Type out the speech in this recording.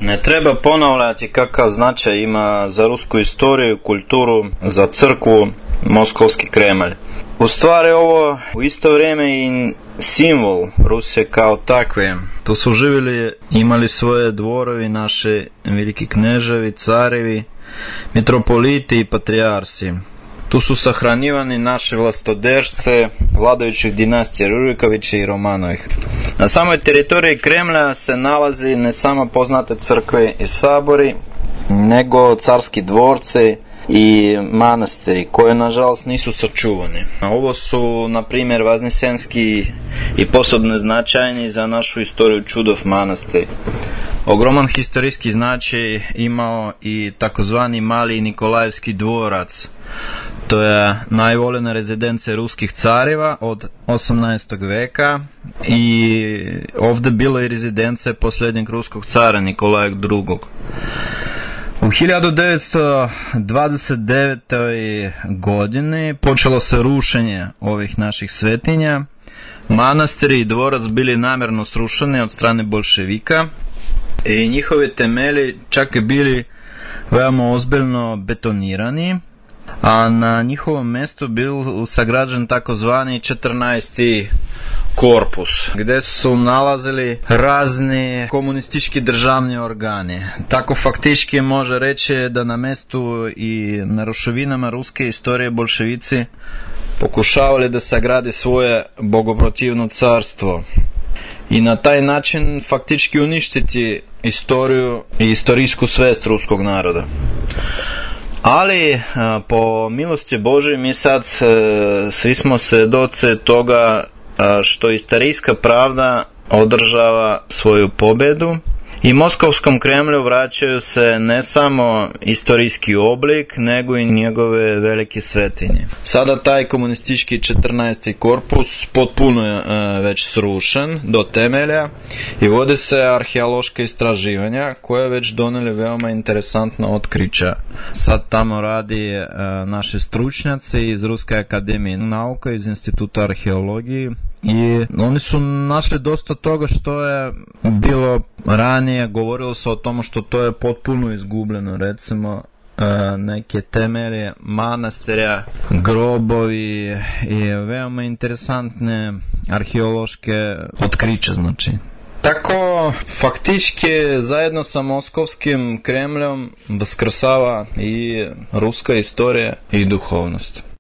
Ne treba ponavljati kakav značaj ima za rusku istoriju, kulturu, za crkvu Moskovski Kremlj. U stvari ovo u isto vrijeme i simbol Rusije kao takve. Tu su živjeli, imali svoje dvorovi, naši veliki kneževi, carevi, mitropoliti i patrijarsi. Tu su sahranjivani naše vlastodržce vladajućih dinastija Rurikovića i Romanovih. Na samoj teritoriji Kremlja se nalazi ne samo poznate crkve i sabori, nego carski dvorci i manastiri koje nažalost nisu sačuvani. Ovo su na primjer Vaznesenski i posebno značajni za našu istoriju Čudov manastir. Ogroman historijski značaj imao i takozvani Mali Nikolajevski dvorac. To je najvoljena rezidencija ruskih careva od 18. veka i ovdje bila i rezidencija posljednjeg ruskog cara Nikolaja II. U 1929. godini počelo se rušenje ovih naših svetinja. Manastir i dvorac bili namjerno srušeni od strane bolševika i njihovi temelji čak i bili veoma ozbiljno betonirani, a na njihovom mjestu bil sagrađen takozvani 14. korpus, gdje su nalazili razni komunistički državni organi. Tako faktički može reći da na mjestu i na ruševinama ruske istorije bolševici pokušavali da sagradi svoje bogoprotivno carstvo i na taj način faktički uništiti istoriju i istorijsku svest ruskog naroda. Ali po milosti Božoj mi sad svi smo svjedoci toga što istorijska pravda održava svoju pobjedu i Moskovskom Kremlju vraćaju se ne samo istorijski oblik, nego i njegove velike svetinje. Sada taj komunistički 14. korpus potpuno je već srušen do temelja i vode se arheološka istraživanja koje već donijeli veoma interesantna otkrića. Sad tamo radi naši stručnjaci iz Ruske akademije nauka, iz Instituta arheologije, i oni su našli dosta toga što je bilo ranije, govorilo se o tomu što to je potpuno izgubljeno, recimo neke temelje manastirja, grobovi i veoma interesantne arheološke otkriće, znači. Tako, faktički, zajedno sa Moskovskim Kremljom vaskrsava i ruska istorija i duhovnost.